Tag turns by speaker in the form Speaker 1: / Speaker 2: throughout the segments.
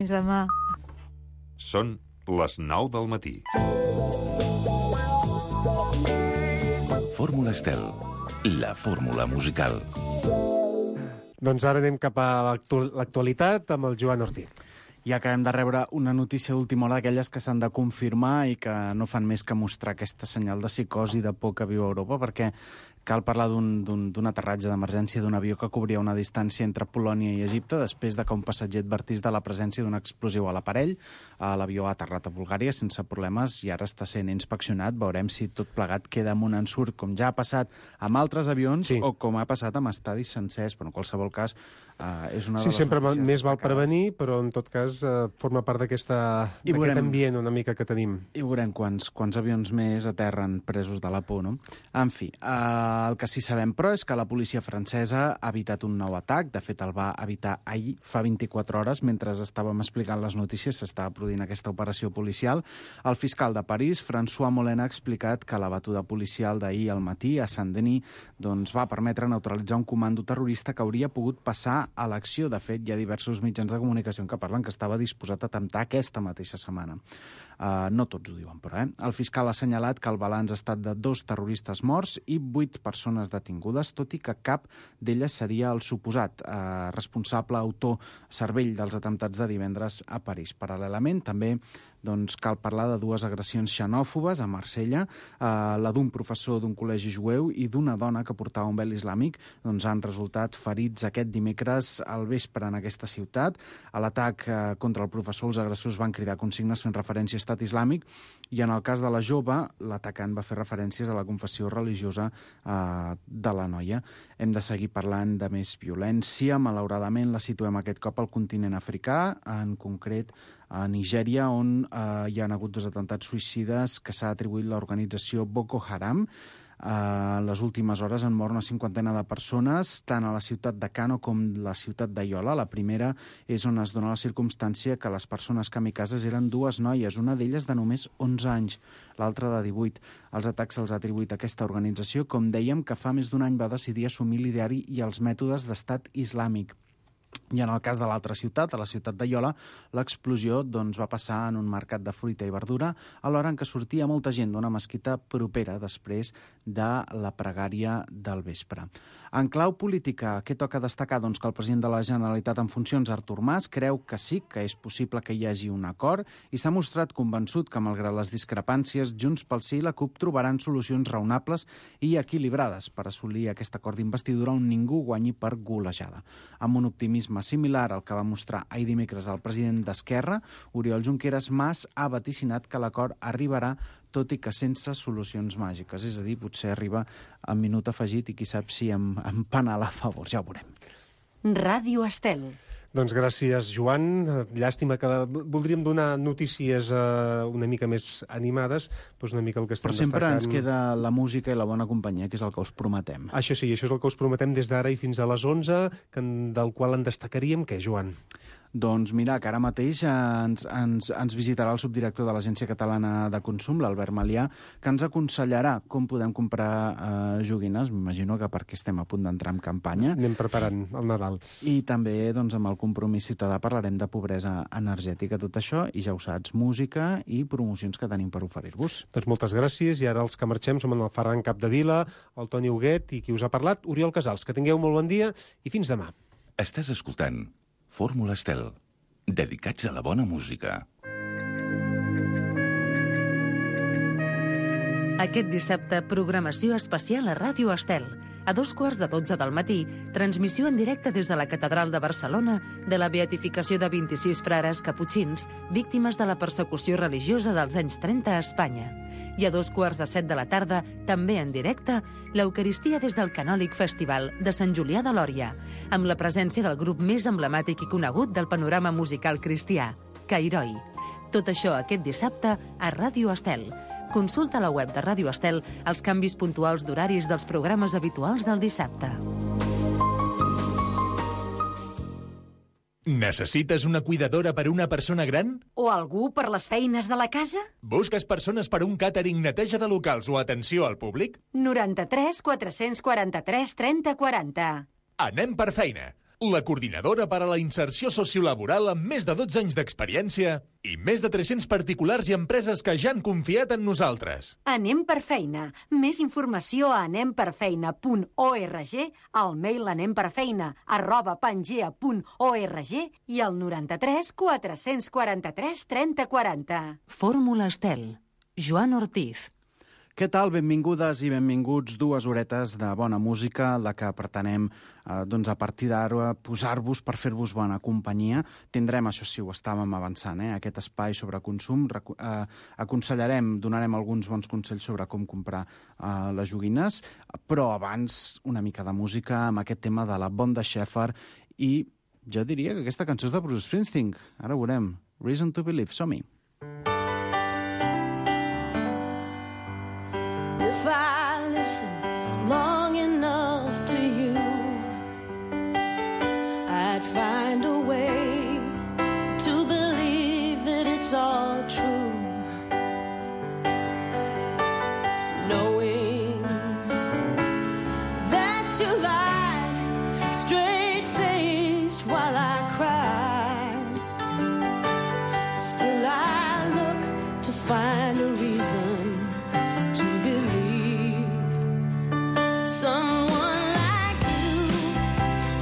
Speaker 1: Fins demà.
Speaker 2: Són les 9 del matí.
Speaker 3: Fórmula Estel, la fórmula musical.
Speaker 4: Doncs ara anem cap a l'actualitat amb el Joan Ortí.
Speaker 5: I acabem de rebre una notícia d'última hora d'aquelles que s'han de confirmar i que no fan més que mostrar aquesta senyal de psicosi de por que viu Europa, perquè cal parlar d'un aterratge d'emergència d'un avió que cobria una distància entre Polònia i Egipte després de que un passatger advertís de la presència d'un explosiu a l'aparell. L'avió ha aterrat a Bulgària sense problemes i ara està sent inspeccionat. Veurem si tot plegat queda amb un ensurt, com ja ha passat amb altres avions o com ha passat amb estadis sencers, però en qualsevol cas és una de les
Speaker 4: sempre
Speaker 5: notícies
Speaker 4: més val
Speaker 5: destacades.
Speaker 4: Prevenir, però en tot cas forma part d'aquest ambient una mica que tenim.
Speaker 5: I veurem quants avions més aterren presos de la por, no? En fi, el que sí sabem, però, és que la policia francesa ha evitat un nou atac. De fet, el va evitar ahir, fa 24 hores, mentre estàvem explicant les notícies, s'estava produint aquesta operació policial. El fiscal de París, François Molin, ha explicat que la batuda policial d'ahir al matí a Saint-Denis doncs, va permetre neutralitzar un comando terrorista que hauria pogut passar a l'acció. De fet, hi ha diversos mitjans de comunicació que parlen que estava disposat a atemptar aquesta mateixa setmana. No tots ho diuen, però. El fiscal ha assenyalat que el balanç ha estat de 2 terroristes morts i 8 persones detingudes, tot i que cap d'elles seria el suposat responsable, autor, cervell dels atemptats de divendres a París. Paral·lelament, també cal parlar de 2 agressions xenòfobes a Marsella, la d'un professor d'un col·legi jueu i d'una dona que portava un vel islàmic. Han resultat ferits aquest dimecres al vespre en aquesta ciutat. A l'atac contra el professor, els agressors van cridar consignes fent referència a Estat Islàmic i en el cas de la jove, l'atacant va fer referències a la confessió religiosa de la noia. Hem de seguir parlant de més violència. Malauradament la situem aquest cop al continent africà, en concret a Nigèria, on hi ha hagut 2 atemptats suïcides que s'ha atribuït l'organització Boko Haram. En les últimes hores han mort una 50ena de persones, tant a la ciutat de Kano com la ciutat de Yola. La primera és on es dona la circumstància que les persones kamikazes eren 2 noies, una d'elles de només 11 anys, l'altra de 18. Els atacs se'ls ha atribuït a aquesta organització, com dèiem, que fa més d'un any va decidir assumir l'ideari i els mètodes d'estat islàmic. I en el cas de l'altra ciutat, a la ciutat de Yola, l'explosió va passar en un mercat de fruita i verdura a l'hora en què sortia molta gent d'una mesquita propera després de la pregària del vespre. En clau política, què toca destacar? Que el president de la Generalitat en funcions, Artur Mas, creu que sí que és possible que hi hagi un acord i s'ha mostrat convençut que, malgrat les discrepàncies, Junts pel Sí i la CUP trobaran solucions raonables i equilibrades per assolir aquest acord d'investidura on ningú guanyi per golejada. Amb un optimisme similar al que va mostrar ahir dimecres el president d'Esquerra, Oriol Junqueras, Mas ha vaticinat que l'acord arribarà tot i que sense solucions màgiques. És a dir, potser arriba amb minut afegit i qui sap si amb penal a favor. Ja ho veurem.
Speaker 1: Ràdio Estel.
Speaker 4: Doncs gràcies, Joan. Llàstima que voldríem donar notícies una mica més animades, doncs una mica el que estem destacant.
Speaker 5: Però sempre ens queda la música i la bona companyia, que és el que us prometem.
Speaker 4: Això sí, això és el que us prometem des d'ara i fins a les 11, del qual en destacaríem què, Joan?
Speaker 5: Doncs mira, que ara mateix ens visitarà el subdirector de l'Agència Catalana de Consum, l'Albert Malià, que ens aconsellarà com podem comprar joguines. M'imagino que perquè estem a punt d'entrar en campanya.
Speaker 4: Anem preparant el Nadal.
Speaker 5: I també amb el compromís ciutadà parlarem de pobresa energètica, tot això, i ja ho saps, música i promocions que tenim per oferir-vos.
Speaker 4: Doncs moltes gràcies, i ara els que marxem som en el Ferran Capdevila, el Toni Huguet i qui us ha parlat, Oriol Casals. Que tingueu molt bon dia i fins demà.
Speaker 3: Estàs escoltant Fórmula Estel, dedicats a la bona música.
Speaker 6: Aquest dissabte, programació especial a Ràdio Estel. A 12:15 del matí, transmissió en directe des de la Catedral de Barcelona de la beatificació de 26 frares caputxins víctimes de la persecució religiosa dels anys 30 a Espanya. I a 14:45 de la tarda, també en directe, l'Eucaristia des del Canòlic Festival de Sant Julià de Lòria, amb la presència del grup més emblemàtic i conegut del panorama musical cristià, Cairoi. Tot això aquest dissabte a Ràdio Estel. Consulta a la web de Ràdio Estel els canvis puntuals d'horaris dels programes habituals del dissabte.
Speaker 7: Necessites una cuidadora per a una persona gran?
Speaker 1: O algú per les feines de la casa?
Speaker 7: Busques persones per a un càtering, neteja de locals o atenció al públic?
Speaker 1: 93 443 30 40.
Speaker 7: Anem per feina. la coordinadora per a la inserció sociolaboral amb més de 12 anys d'experiència i més de 300 particulars i empreses que ja han confiat en nosaltres.
Speaker 1: Anem per feina. Més informació a anemperfeina.org, al mail anemperfeina@pangea.org i al 93 443 3040.
Speaker 6: Fórmula Estel. Joan Ortiz.
Speaker 5: Què tal? Benvingudes i benvinguts. 2 horetes de bona música, la que pretenem a partir d'ara posar-vos per fer-vos bona companyia. Tindrem, això sí, ho estàvem avançant, aquest espai sobre consum. Aconsellarem, donarem alguns bons consells sobre com comprar les joguines, però abans una mica de música amb aquest tema de la Bonda Shepherd i jo diria que aquesta cançó és de Bruce Springsteen. Ara ho veurem. Reason to Believe. Som-hi.
Speaker 8: If I listen long enough to you, I'd find a way to believe that it's all true. Knowing that you lied straight-faced while I cried, still I look to find a reason to believe. Someone like you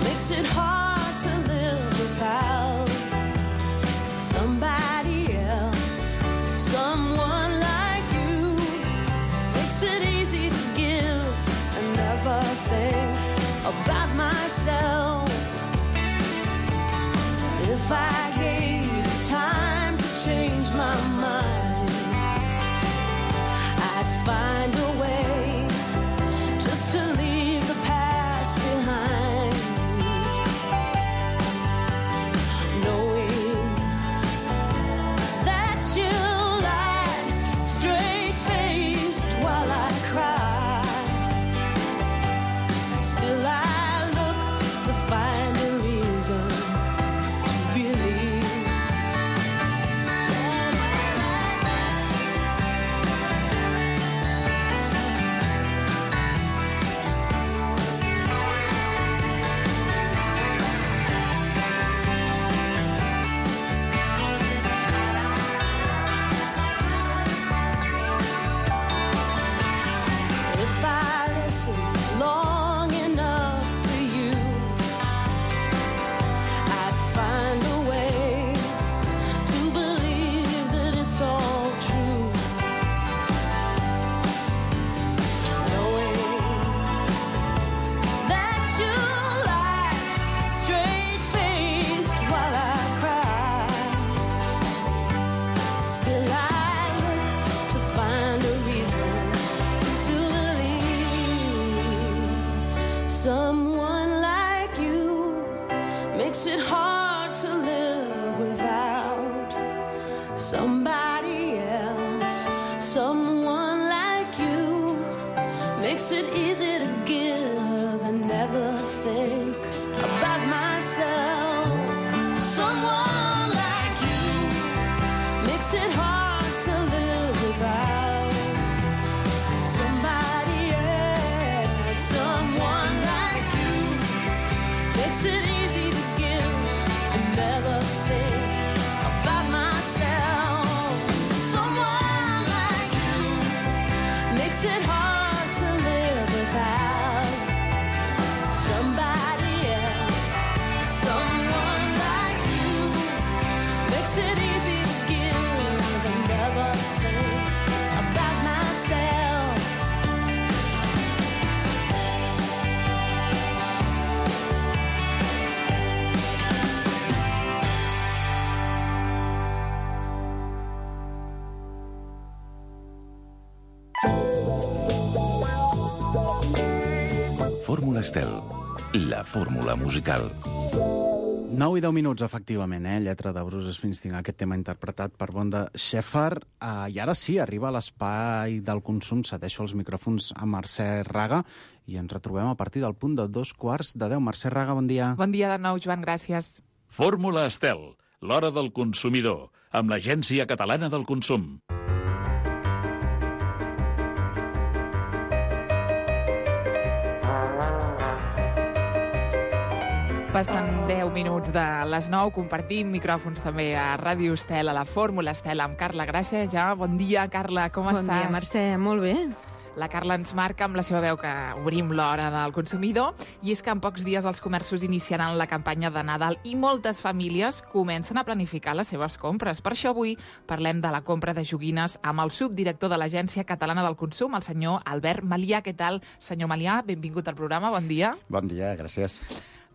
Speaker 8: makes it hard to live without somebody else. Someone like you makes it easy to give and never think about myself. If I gave you time to change my mind, I'd find a way just to leave the past behind. Knowing that you lied straight-faced while I cried, still I look to find a reason to believe. If I listen long enough to you, I'd find a way to believe that it's all true. Knowing that you lied straight-faced while I cried, still I look to find a reason to believe. Someone like you makes it hard to live without somebody else. Someone like you makes it easy to give and never think about myself. Someone like you makes it hard to live without somebody else. Someone like you makes it easy to give and never think about myself. Someone like you makes it hard to live without somebody else. Someone like you makes it easy to give and never think about myself.
Speaker 3: Fórmula Estel, la fórmula musical.
Speaker 5: 9 i 10 minuts, efectivament, lletra de Bruce Springsteen, aquest tema interpretat per Bonda Shepherd. I ara sí, arriba a l'espai del consum, cedeixo els micròfons a Mercè Raga i ens retrobem a partir del punt de 2:15. Mercè Raga, bon dia.
Speaker 9: Bon dia de nou, Joan, gràcies.
Speaker 10: Fórmula Estel, l'hora del consumidor, amb l'Agència Catalana del Consum.
Speaker 9: Passen 10 minuts de les 9, compartim micròfons també a Ràdio Estel, a la Fórmula Estel, amb Carla Gràcia. Ja, bon dia, Carla, com estàs?
Speaker 11: Bon dia, Mercè, molt bé.
Speaker 9: La Carla ens marca amb la seva veu que obrim l'hora del consumidor, i és que en pocs dies els comerços iniciaran la campanya de Nadal i moltes famílies comencen a planificar les seves compres. Per això avui parlem de la compra de joguines amb el subdirector de l'Agència Catalana del Consum, el senyor Albert Malià. Què tal, senyor Malià? Benvingut al programa, bon dia.
Speaker 12: Bon dia, gràcies.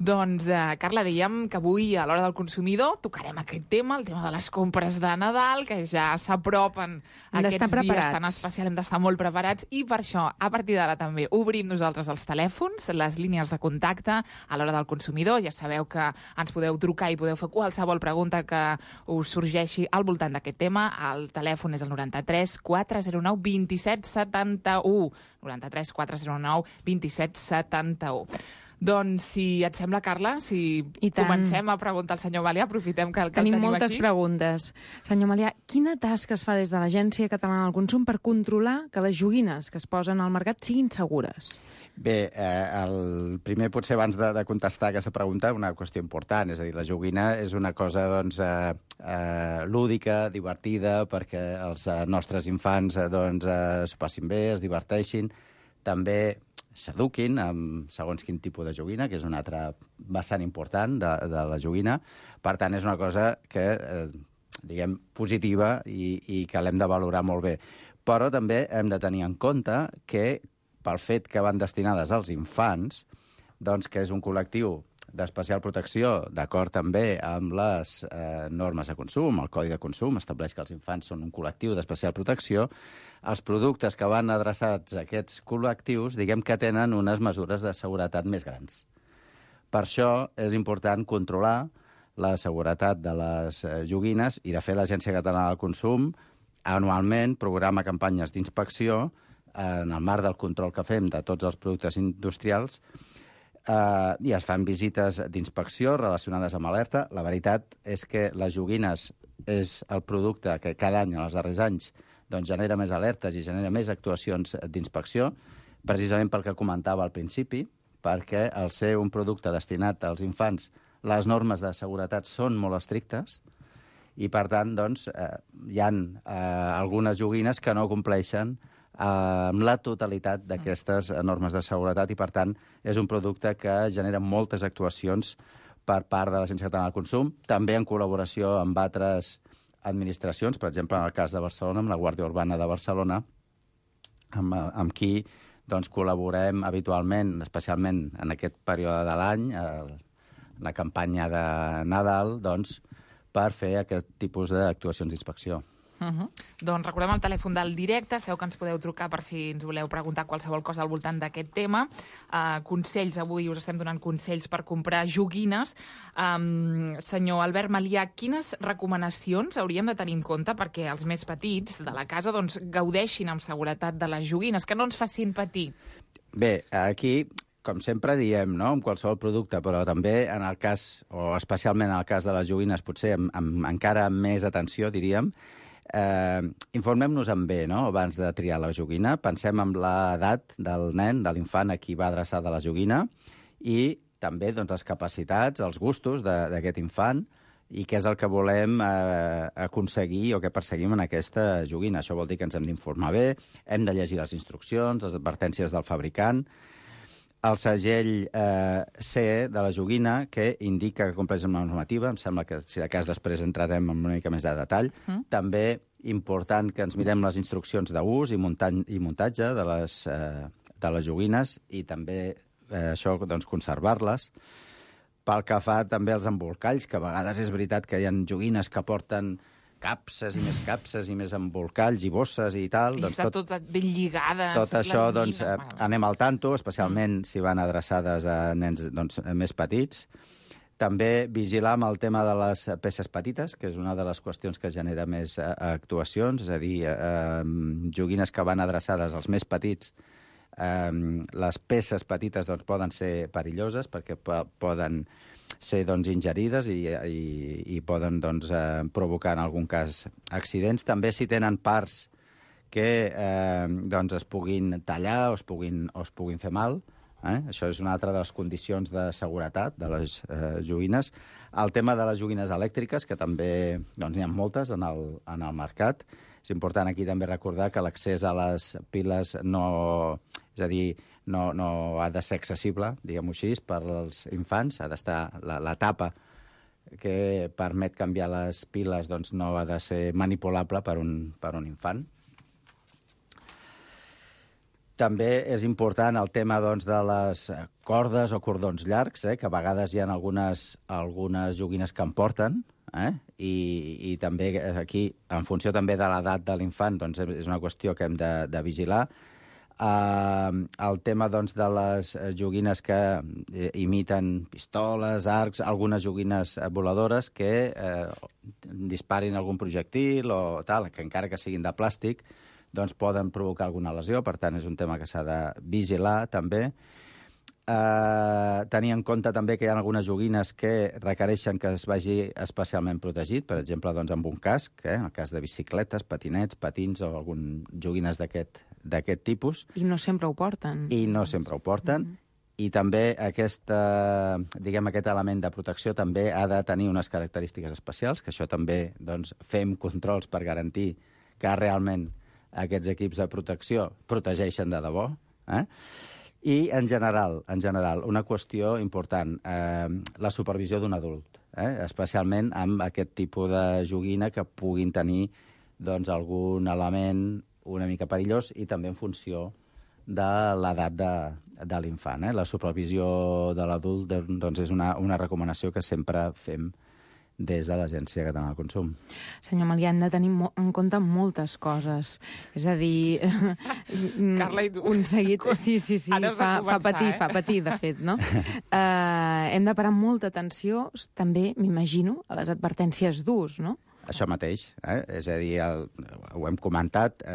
Speaker 9: Doncs, Carla, dèiem que avui, a l'hora del consumidor, tocarem aquest tema, el tema de les compres de Nadal, que ja s'apropen aquests dies tan especials, hem d'estar molt preparats, i per això, a partir d'ara també, obrim nosaltres els telèfons, les línies de contacte a l'hora del consumidor. Ja sabeu que ens podeu trucar i podeu fer qualsevol pregunta que us sorgeixi al voltant d'aquest tema. El telèfon és el 93 409 27 71. 93 409 27 71. Doncs, si et sembla, Carla, si comencem a preguntar al senyor Malià, aprofitem que el tenim aquí.
Speaker 11: Tenim moltes preguntes. Senyor Malià, quina tasca es fa des de l'Agència Catalana del Consum per controlar que les joguines que es posen al mercat siguin segures?
Speaker 12: Bé, el primer, potser abans de contestar aquesta pregunta, una qüestió important. És a dir, la joguina és una cosa lúdica, divertida, perquè els nostres infants s'ho passin bé, es diverteixin. També s'eduquin amb segons quin tipus de joguina, que és un altre vessant important de la joguina. Per tant, és una cosa que, diguem, positiva i que l'hem de valorar molt bé. Però també hem de tenir en compte que, pel fet que van destinades als infants, doncs que és un col·lectiu d'especial protecció, d'acord també amb les normes de consum, el Codi de Consum estableix que els infants són un col·lectiu d'especial protecció, els productes que van adreçats a aquests col·lectius, diguem que tenen unes mesures de seguretat més grans. Per això és important controlar la seguretat de les joguines i, de fet, l'Agència Catalana del Consum anualment programa campanyes d'inspecció en el marc del control que fem de tots els productes industrials i es fan visites d'inspecció relacionades amb alerta. La veritat és que les joguines és el producte que cada any, en els darrers anys, doncs genera més alertes i genera més actuacions d'inspecció, precisament pel que comentava al principi, perquè al ser un producte destinat als infants, les normes de seguretat són molt estrictes i, per tant, doncs, hi ha algunes joguines que no compleixen amb la totalitat d'aquestes normes de seguretat i, per tant, és un producte que genera moltes actuacions per part de l'Agència Catalana del Consum, també en col·laboració amb altres administracions, per exemple, en el cas de Barcelona, amb la Guàrdia Urbana de Barcelona, amb qui doncs, col·laborem habitualment, especialment en aquest període de l'any, la campanya de Nadal, doncs, per fer aquest tipus d'actuacions d'inspecció.
Speaker 9: Doncs recordem el telèfon del directe, sabeu que ens podeu trucar per si ens voleu preguntar qualsevol cosa al voltant d'aquest tema. Consells, avui us estem donant consells per comprar joguines. Senyor Albert Malià, quines recomanacions hauríem de tenir en compte perquè els més petits de la casa doncs, gaudeixin amb seguretat de les joguines, que no ens facin patir?
Speaker 12: Bé, aquí, com sempre diem, no?, amb qualsevol producte, però també en el cas, o especialment en el cas de les joguines, potser amb encara més atenció, diríem, informem-nos bé, no?, abans de triar la joguina. Pensem en l'edat del nen, de l'infant a qui va adreçada la joguina i també doncs, les capacitats, els gustos d'aquest infant i què és el que volem aconseguir o què perseguim en aquesta joguina. Això vol dir que ens hem d'informar bé, hem de llegir les instruccions, les advertències del fabricant, el segell CE de la joguina que indica que compleix amb la normativa. Em sembla que, si de cas, després entrarem en una mica més de detall. També important que ens mirem les instruccions d'ús i muntatge de les joguines i també això, doncs, conservar-les. Pel que fa també als embolcalls, que a vegades és veritat que hi ha joguines que porten capses i més embolcalls i bosses i tal.
Speaker 9: I està tot ben lligades.
Speaker 12: Tot això, doncs, anem al tanto, especialment si van adreçades a nens doncs, més petits. També vigilar amb el tema de les peces petites, que és una de les qüestions que genera més actuacions, és a dir, joguines que van adreçades als més petits. Les peces petites doncs, poden ser perilloses perquè poden ser doncs, ingerides i poden doncs, provocar en algun cas accidents. També si tenen parts que doncs, es puguin tallar o es puguin fer mal, Això és una altra de les condicions de seguretat de les joguines. El tema de les joguines elèctriques, que també doncs, n'hi ha moltes en el mercat. És important aquí també recordar que l'accés a les piles no ha de ser accessible, diguem-ho així, per als infants. Ha d'estar la tapa que permet canviar les piles doncs, no ha de ser manipulable per un infant. També és important el tema doncs, de les cordes o cordons llargs, que a vegades hi ha algunes joguines que en porten, i també aquí, en funció també de l'edat de l'infant, doncs, és una qüestió que hem de vigilar. El tema doncs, de les joguines que imiten pistoles, arcs, algunes joguines voladores que disparin algun projectil o tal, que encara que siguin de plàstic, doncs poden provocar alguna lesió, per tant és un tema que s'ha de vigilar també. Tenir en compte també que hi ha algunes joguines que requereixen que es vagi especialment protegit, per exemple, doncs, amb un casc, en el cas de bicicletes, patinets, patins o algunes joguines d'aquest tipus.
Speaker 11: I no sempre ho porten.
Speaker 12: I també aquest element de protecció també ha de tenir unes característiques especials, que això també doncs, fem controls per garantir que realment aquests equips de protecció protegeixen de debò. I, en general, una qüestió important, la supervisió d'un adult, especialment amb aquest tipus de joguina que puguin tenir doncs, algun element una mica perillós i també en funció de l'edat de l'infant. La supervisió de l'adult doncs, és una recomanació que sempre fem des de l'Agència Catalana del Consum.
Speaker 11: Senyor Malià, hem de tenir en compte moltes coses. És a dir...
Speaker 9: Carla, i tu?
Speaker 11: Un seguit... Sí, fa patir, de fet, no? Hem de parar molta atenció, també, m'imagino, a les advertències d'ús, no?
Speaker 12: Això mateix, és a dir, ho hem comentat...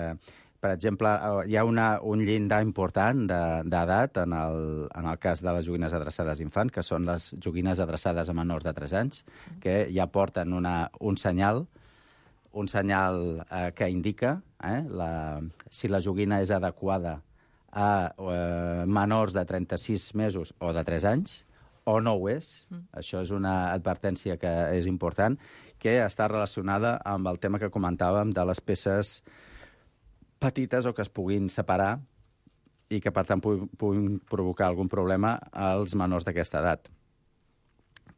Speaker 12: Per exemple, hi ha un llindar important d'edat en el cas de les joguines adreçades a infants, que són les joguines adreçades a menors de 3 anys, que ja porten un senyal que indica si la joguina és adequada a menors de 36 mesos o de 3 anys, o no ho és. Això és una advertència que és important, que està relacionada amb el tema que comentàvem de les peces petites o que es puguin separar i que, per tant, puguin provocar algun problema als menors d'aquesta edat.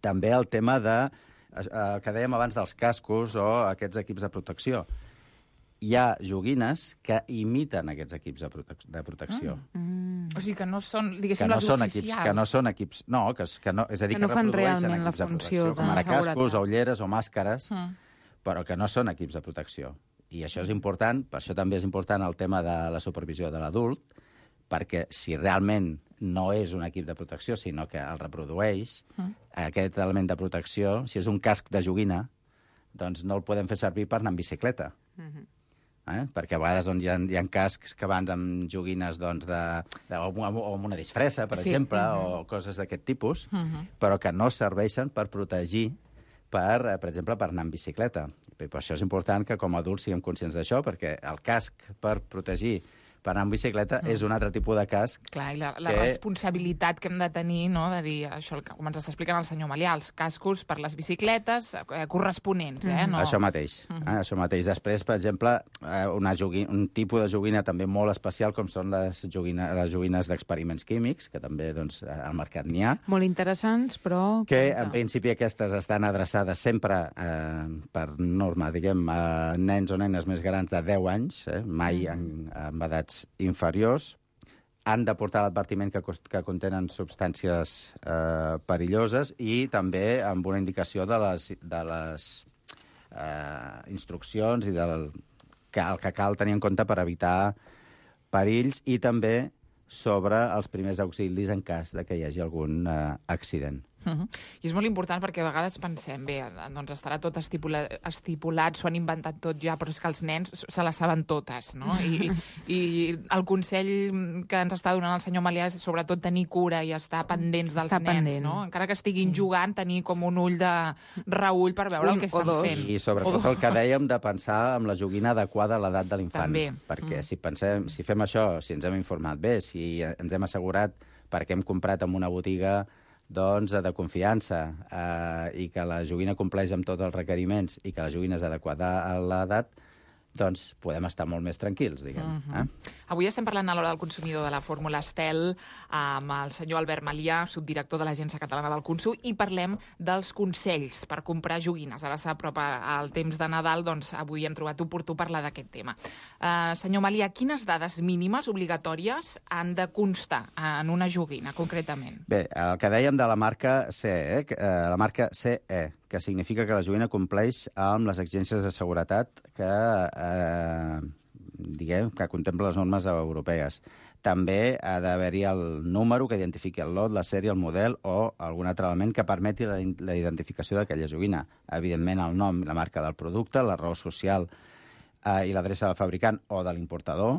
Speaker 12: També el tema que dèiem abans dels cascos o aquests equips de protecció. Hi ha joguines que imiten aquests equips de protecció.
Speaker 9: O sigui, que no són, diguéssim, les oficials.
Speaker 12: Que no són equips... No, és a dir, que
Speaker 11: no fan
Speaker 12: reprodueixen
Speaker 11: realment la
Speaker 12: equips de
Speaker 11: funció
Speaker 12: protecció, com ara cascos, ulleres o màscares, però que no són equips de protecció. I això és important, per això també és important el tema de la supervisió de l'adult, perquè si realment no és un equip de protecció, sinó que el reprodueix, aquest element de protecció, si és un casc de joguina, doncs no el podem fer servir per anar en bicicleta. Perquè a vegades doncs, hi ha cascs que van amb joguines doncs, o amb una disfressa, per exemple, o coses d'aquest tipus, però que no serveixen per protegir per exemple, per anar en bicicleta. I per això és important que com a adults siguem conscients d'això, perquè el casc per protegir per anar en bicicleta és un altre tipus de casc.
Speaker 9: Clar, i la responsabilitat que hem de tenir, no?, de dir això, com ens està explicant el senyor Malià, els cascos per les bicicletes corresponents, no?
Speaker 12: Això mateix. Això mateix. Després, per exemple, un tipus de joguina també molt especial, com són les joguines d'experiments químics, que també doncs, al mercat n'hi ha.
Speaker 11: Molt interessants, però...
Speaker 12: Que, en principi, aquestes estan adreçades sempre per norma, diguem, a nens o nenes més grans de 10 anys, mai amb edats inferiors. Han de portar l'advertiment que contenen substàncies perilloses i també amb una indicació de les instruccions i el que cal tenir en compte per evitar perills i també sobre els primers auxilis en cas de que hi hagi algun accident.
Speaker 9: I és molt important perquè a vegades pensem, bé, doncs estarà tot estipulat, s'ho han inventat tot ja, però és que els nens se les saben totes, no? I el consell que ens està donant el senyor Malià és sobretot tenir cura i estar pendents dels nens, no? Encara que estiguin jugant, tenir com un ull de reull per veure el que estan fent.
Speaker 12: I sobretot el que dèiem de pensar amb la joguina adequada a l'edat de l'infant. Perquè si fem això, si ens hem informat bé, si ens hem assegurat perquè hem comprat en una botiga doncs, de confiança i que la joguina compleix amb tots els requeriments i que la joguina és adequada a l'edat, doncs podem estar molt més tranquils, diguem.
Speaker 9: Avui estem parlant a l'Hora del Consumidor de la Fórmula Estel amb el senyor Albert Malià, subdirector de l'Agència Catalana del Consum, i parlem dels consells per comprar joguines. Ara s'apropa el temps de Nadal, doncs avui hem trobat oportú parlar d'aquest tema. Senyor Malià, quines dades mínimes obligatòries han de constar en una joguina, concretament?
Speaker 12: Bé, el que dèiem de la marca CE, la marca CE, que significa que la joguina compleix amb les exigències de seguretat que contempla les normes europees. També ha d'haver-hi el número que identifiqui el lot, la sèrie, el model o algun altre element que permeti la identificació d'aquella joguina. Evidentment, el nom, la marca del producte, la raó social i l'adreça del fabricant o de l'importador.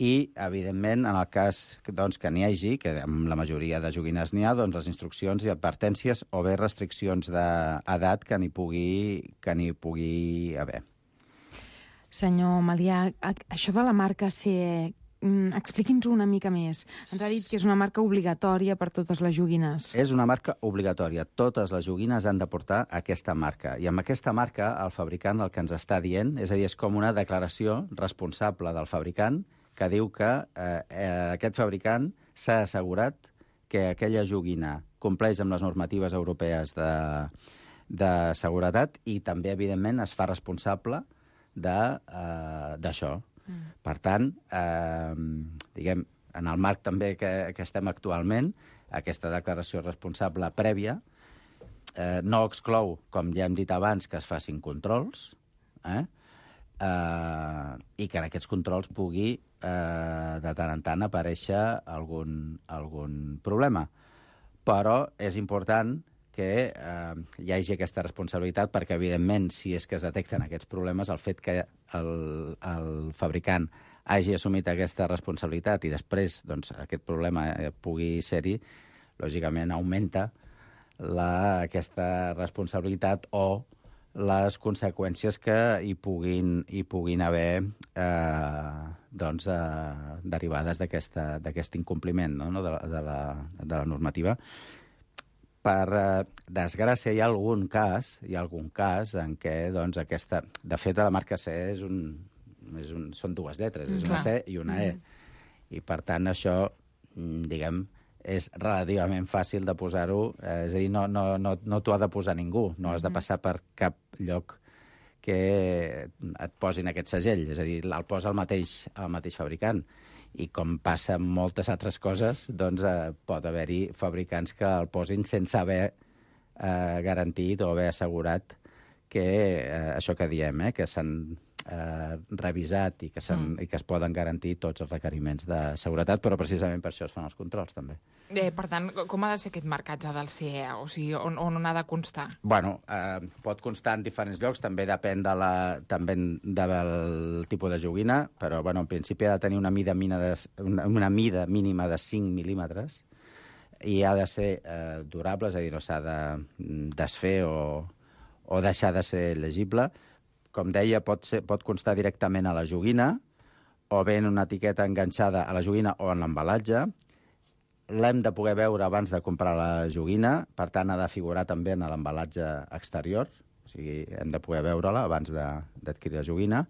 Speaker 12: I, evidentment, en el cas doncs, que n'hi hagi, que en la majoria de joguines n'hi ha, doncs les instruccions i advertències o bé restriccions d'edat que n'hi pugui haver.
Speaker 11: Senyor Malià, això de la marca CE, expliqui'ns una mica més. Ens ha dit que és una marca obligatòria per totes les joguines.
Speaker 12: És una marca obligatòria. Totes les joguines han de portar aquesta marca. I amb aquesta marca, el fabricant el que ens està dient, és a dir, és com una declaració responsable del fabricant que diu que aquest fabricant s'ha assegurat que aquella joguina compleix amb les normatives europees de seguretat i també, evidentment, es fa responsable d'això. Per tant, diguem, en el marc també que estem actualment, aquesta declaració responsable prèvia no exclou, com ja hem dit abans, que es facin controls, i que en aquests controls pugui de tant en tant aparèixer algun problema. Però és important que hi hagi aquesta responsabilitat perquè, evidentment, si és que es detecten aquests problemes, el fet que el fabricant hagi assumit aquesta responsabilitat i després doncs, aquest problema pugui ser-hi, lògicament augmenta aquesta responsabilitat o les conseqüències que hi puguin haver derivades d'aquest incompliment de la normativa. Per desgràcia, hi ha algun cas en què aquesta... De fet, la marca C són dues lletres, és una C i una E. I, per tant, això, diguem, és relativament fàcil de posar-ho, és a dir, no t'ho ha de posar ningú, no has de passar per cap lloc que et posin aquest segell, és a dir, el posa el mateix fabricant. I com passa amb moltes altres coses, doncs pot haver-hi fabricants que el posin sense haver garantit o haver assegurat que això que diem, que s'han revisat i que es poden garantir tots els requeriments de seguretat, però precisament per això es fan els controls, també.
Speaker 9: Per tant, com ha de ser aquest marcatge del CE? O sigui, on ha de constar?
Speaker 12: Bueno, pot constar en diferents llocs, també depèn del tipus de joguina, però bueno, en principi ha de tenir una mida mínima de 5 mil·límetres i ha de ser durable, és a dir, no s'ha de desfer o deixar de ser legible. Com deia, pot constar directament a la joguina o bé en una etiqueta enganxada a la joguina o en l'embalatge. L'hem de poder veure abans de comprar la joguina, per tant, ha de figurar també en l'embalatge exterior, o sigui, hem de poder veure-la abans d'adquirir la joguina.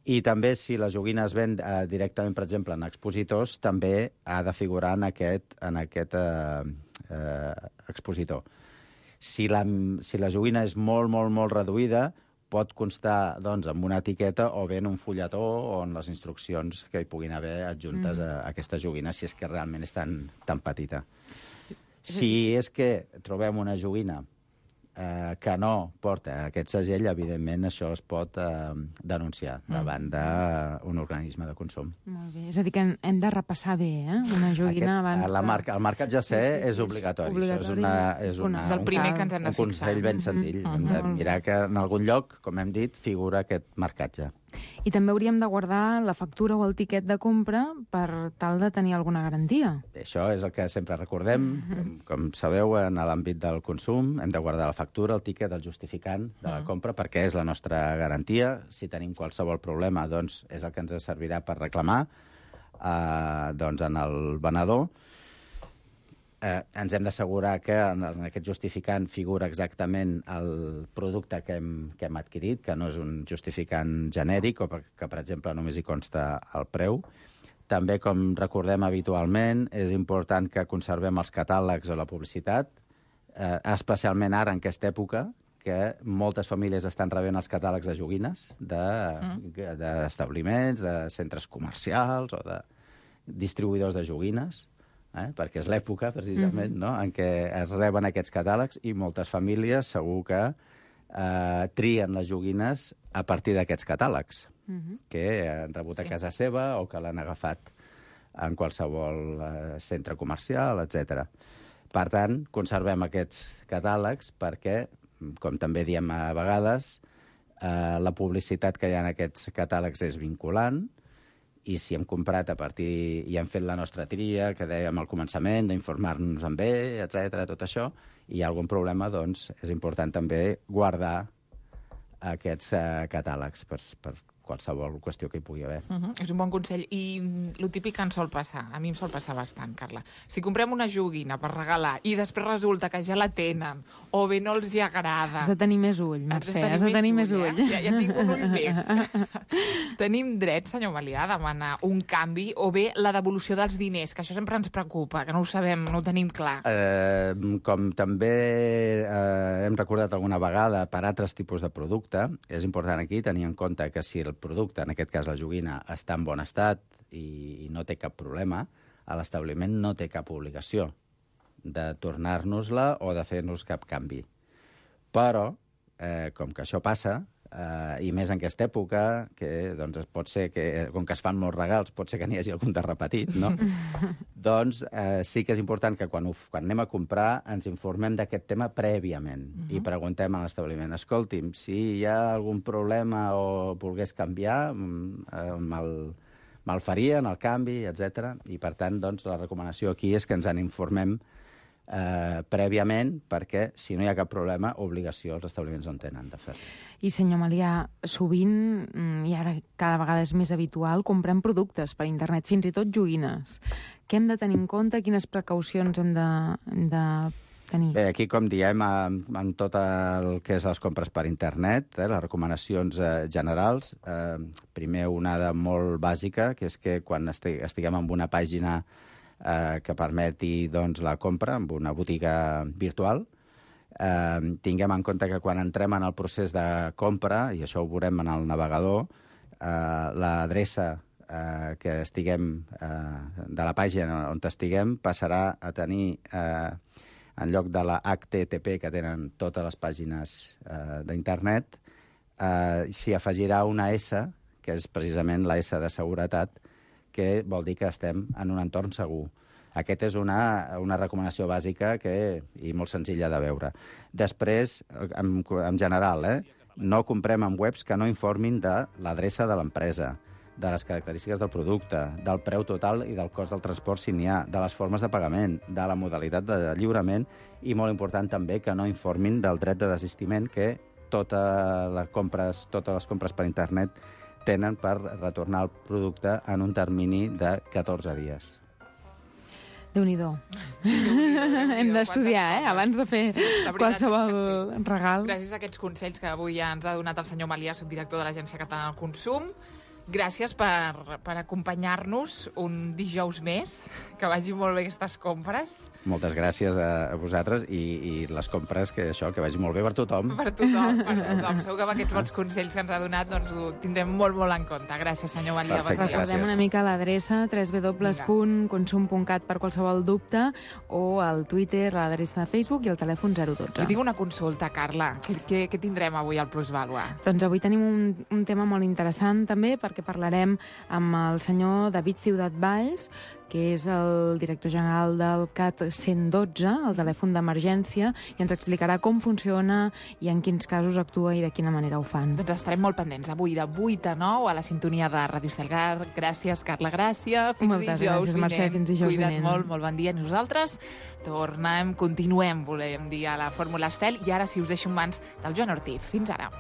Speaker 12: I també, si la joguina es ven directament, per exemple, en expositors, també ha de figurar en aquest expositor. Si la joguina és molt, molt, molt reduïda, pot constar doncs, amb una etiqueta o bé en un fulletó o en les instruccions que hi puguin haver adjuntes a aquesta joguina, si és que realment és tan petita. Si és que trobem una joguina que no porta aquest segell, evidentment això es pot denunciar davant d'un organisme de consum.
Speaker 11: Molt bé. És a dir, que hem de repassar bé, una joguina abans...
Speaker 12: El marcatge C és obligatori. És
Speaker 9: el primer que ens hem de fixar.
Speaker 12: Un consell ben senzill. Hem de mirar que en algun lloc, com hem dit, figura aquest marcatge.
Speaker 11: I també hauríem de guardar la factura o el tiquet de compra per tal de tenir alguna garantia.
Speaker 12: Això és el que sempre recordem. Com sabeu, en l'àmbit del consum hem de guardar la factura, el tiquet, el justificant de la compra, perquè és la nostra garantia. Si tenim qualsevol problema, doncs és el que ens servirà per reclamar en el venedor. ens hem d'assegurar que en aquest justificant figura exactament el producte que hem adquirit, que no és un justificant genèric o que, per exemple, només hi consta el preu. També, com recordem habitualment, és important que conservem els catàlegs o la publicitat, especialment ara, en aquesta època, que moltes famílies estan rebent els catàlegs de joguines d'establiments, de centres comercials o de distribuïdors de joguines, perquè és l'època, precisament, no?, en què es reben aquests catàlegs i moltes famílies segur que trien les joguines a partir d'aquests catàlegs que han rebut a casa seva o que l'han agafat en qualsevol centre comercial, etc. Per tant, conservem aquests catàlegs perquè, com també diem a vegades, la publicitat que hi ha en aquests catàlegs és vinculant, i si hem comprat a partir i hem fet la nostra tria, que dèiem al començament, d'informar-nos en bé, etc., tot això, i hi ha algun problema, doncs és important també guardar aquests catàlegs per qualsevol qüestió que hi pugui haver.
Speaker 9: És un bon consell. I el típic que ens sol passar, a mi em sol passar bastant, Carla. Si comprem una joguina per regalar i després resulta que ja la tenen o bé no els hi agrada...
Speaker 11: Has de tenir més ull, Mercè, has de tenir més ull.
Speaker 9: Ja tinc un ull més. Tenim dret, senyor Malià, a demanar un canvi o bé la devolució dels diners, que això sempre ens preocupa, que no ho sabem, no ho tenim clar.
Speaker 12: Com també hem recordat alguna vegada per altres tipus de producte, és important aquí tenir en compte que si el producte, en aquest cas la joguina, està en bon estat i no té cap problema, l'establiment no té cap obligació de tornar-nos-la o de fer-nos cap canvi. Però, com que això passa, i més en aquesta època, que doncs, pot ser que, com que es fan molts regals, pot ser que n'hi hagi algun de repetit, no? Doncs sí que és important que quan anem a comprar ens informem d'aquest tema prèviament i preguntem a l'establiment, escolti'm, si hi ha algun problema o volgués canviar, me'l farien, el canvi, etc. I per tant, doncs, la recomanació aquí és que ens en informem prèviament, perquè si no hi ha cap problema, obligació els establiments en tenen de fer.
Speaker 11: I, senyor Malià, sovint, i ara cada vegada és més habitual, comprem productes per internet, fins i tot joguines. Què hem de tenir en compte? Quines precaucions hem de tenir?
Speaker 12: Bé, aquí, com diem, amb tot el que és les compres per internet, les recomanacions generals, primer una de molt bàsica, que és que quan estiguem en una pàgina que permeti doncs, la compra en una botiga virtual, tinguem en compte que quan entrem en el procés de compra, i això ho veurem en el navegador, l'adreça que estiguem de la pàgina on estiguem passarà a tenir, en lloc de la HTTP que tenen totes les pàgines d'internet, s'hi afegirà una S, que és precisament la S de seguretat, que vol dir que estem en un entorn segur. Aquesta és una recomanació bàsica i molt senzilla de veure. Després, en general, no comprem en webs que no informin de l'adreça de l'empresa, de les característiques del producte, del preu total i del cost del transport si n'hi ha, de les formes de pagament, de la modalitat de lliurament i, molt important també, que no informin del dret de desistiment que totes les compres per internet tenen per retornar el producte en un termini de 14 dies.
Speaker 11: Déu-n'hi-do. Hem d'estudiar, abans de fer qualsevol regal.
Speaker 9: Gràcies a aquests consells que avui ja ens ha donat el senyor Malià, subdirector de l'Agència Catalana del Consum. Gràcies per acompanyar-nos un dijous més. Que vagi molt bé aquestes compres.
Speaker 12: Moltes gràcies a vosaltres i les compres, que vagi molt bé per tothom.
Speaker 9: Per tothom. Segur que amb aquests bons consells que ens ha donat doncs ho tindrem molt, molt en compte. Gràcies, senyor Malià.
Speaker 12: Perfecte,
Speaker 11: recordem una mica l'adreça www.consum.cat per qualsevol dubte o al Twitter, l'adreça de Facebook i el telèfon 012.
Speaker 9: I tinc una consulta, Carla. Què tindrem avui al Plusvàlua?
Speaker 11: Doncs avui tenim un tema molt interessant també, perquè parlarem amb el senyor David Ciutat Valls, que és el director general del CAT 112, el telèfon d'emergència, i ens explicarà com funciona i en quins casos actua i de quina manera ho fan.
Speaker 9: Doncs estarem molt pendents avui de 8 a 9 a la sintonia de Ràdio Estel. Gràcies, Carla, gràcies.
Speaker 11: Moltes gràcies, Mercè, fins dijous vinent.
Speaker 9: Cuida't molt bon dia. Nosaltres continuem, volem dir, a la Fórmula Estel, i ara si us deixo en mans del Joan Ortiz. Fins ara.